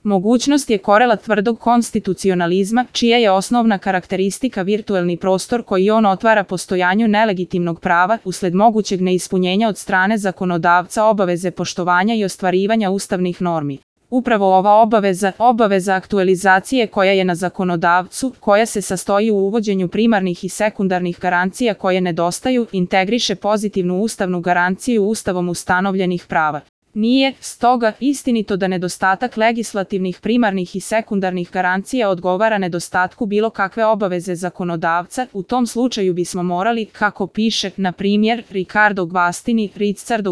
Mogućnost je korelat tvrdog konstitucionalizma, čija je osnovna karakteristika virtuelni prostor koji on otvara postojanju nelegitimnog prava usled mogućeg neispunjenja od strane zakonodavca obaveze poštovanja i ostvarivanja ustavnih normi. Upravo ova obaveza aktualizacije koja je na zakonodavcu, koja se sastoji u uvođenju primarnih i sekundarnih garancija koje nedostaju, integriše pozitivnu ustavnu garanciju ustavom ustanovljenih prava. Nije, stoga, istinito da nedostatak legislativnih primarnih i sekundarnih garancija odgovara nedostatku bilo kakve obaveze zakonodavca, u tom slučaju bismo morali, kako piše, na primjer, Ricardo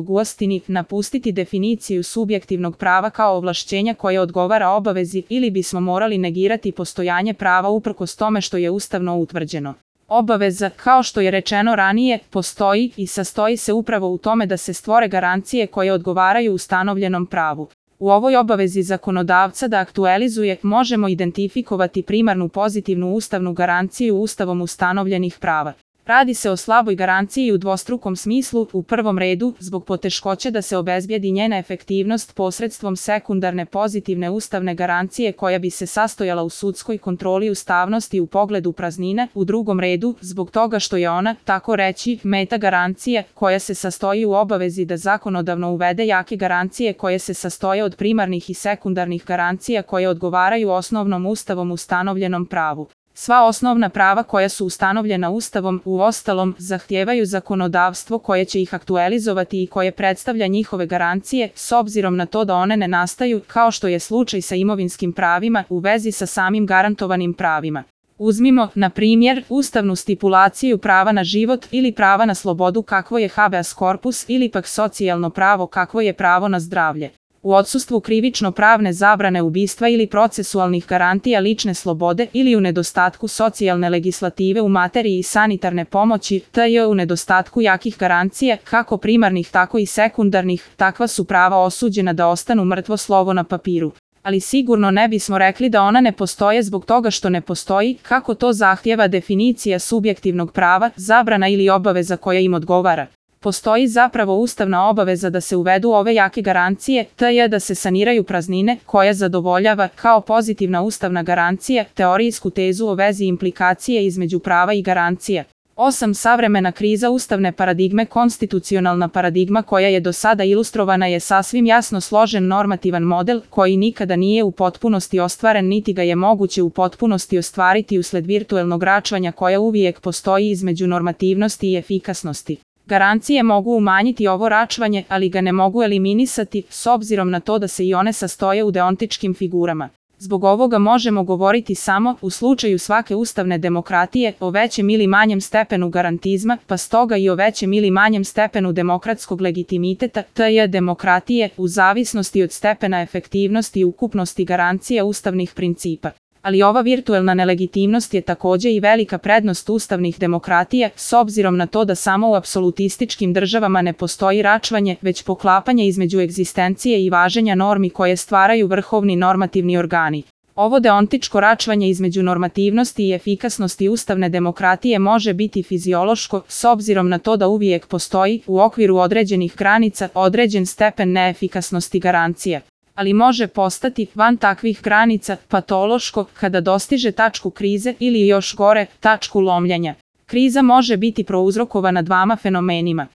Guastini, napustiti definiciju subjektivnog prava kao ovlašćenja koje odgovara obavezi ili bismo morali negirati postojanje prava uprkos tome što je ustavno utvrđeno. Obaveza, kao što je rečeno ranije, postoji i sastoji se upravo u tome da se stvore garancije koje odgovaraju ustanovljenom pravu. U ovoj obavezi zakonodavca da aktualizuje možemo identifikovati primarnu pozitivnu ustavnu garanciju ustavom ustanovljenih prava. Radi se o slaboj garanciji u dvostrukom smislu, u prvom redu, zbog poteškoće da se obezbijedi njena efektivnost posredstvom sekundarne pozitivne ustavne garancije koja bi se sastojala u sudskoj kontroli ustavnosti u pogledu praznine, u drugom redu, zbog toga što je ona, tako reći, meta garancija, koja se sastoji u obavezi da zakonodavno uvede jake garancije koje se sastoje od primarnih i sekundarnih garancija koje odgovaraju osnovnom ustavom ustanovljenom pravu. Sva osnovna prava koja su ustanovljena Ustavom, uostalom, zahtijevaju zakonodavstvo koje će ih aktualizovati i koje predstavlja njihove garancije, s obzirom na to da one ne nastaju, kao što je slučaj sa imovinskim pravima, u vezi sa samim garantovanim pravima. Uzmimo, na primjer, ustavnu stipulaciju prava na život ili prava na slobodu kakvo je habeas corpus ili pak socijalno pravo kakvo je pravo na zdravlje. U odsustvu krivično-pravne zabrane ubistva ili procesualnih garantija lične slobode ili u nedostatku socijalne legislative u materiji sanitarne pomoći, u nedostatku jakih garancija, kako primarnih tako i sekundarnih, takva su prava osuđena da ostanu mrtvo slovo na papiru. Ali sigurno ne bismo rekli da ona ne postoje zbog toga što ne postoji, kako to zahtijeva definicija subjektivnog prava, zabrana ili obaveza koja im odgovara. Postoji zapravo ustavna obaveza da se uvedu ove jake garancije, da se saniraju praznine, koja zadovoljava, kao pozitivna ustavna garancija, teorijsku tezu o vezi implikacije između prava i garancija. 8. Savremena kriza ustavne paradigme. Konstitucionalna paradigma koja je do sada ilustrovana je sasvim jasno složen normativan model koji nikada nije u potpunosti ostvaren niti ga je moguće u potpunosti ostvariti usled virtuelnog račvanja koja uvijek postoji između normativnosti i efikasnosti. Garancije mogu umanjiti ovo račvanje, ali ga ne mogu eliminisati, s obzirom na to da se i one sastoje u deontičkim figurama. Zbog ovoga možemo govoriti samo, u slučaju svake ustavne demokratije, o većem ili manjem stepenu garantizma, pa stoga i o većem ili manjem stepenu demokratskog legitimiteta, demokratije, u zavisnosti od stepena efektivnosti i ukupnosti garancija ustavnih principa. Ali ova virtuelna nelegitimnost je također i velika prednost ustavnih demokratija, s obzirom na to da samo u apsolutističkim državama ne postoji račvanje, već poklapanje između egzistencije i važenja normi koje stvaraju vrhovni normativni organi. Ovo deontičko račvanje između normativnosti i efikasnosti ustavne demokratije može biti fiziološko, s obzirom na to da uvijek postoji, u okviru određenih granica, određen stepen neefikasnosti garancija. Ali može postati, van takvih granica, patološko, kada dostiže tačku krize ili još gore, tačku lomljenja. Kriza može biti prouzrokovana dvama fenomenima.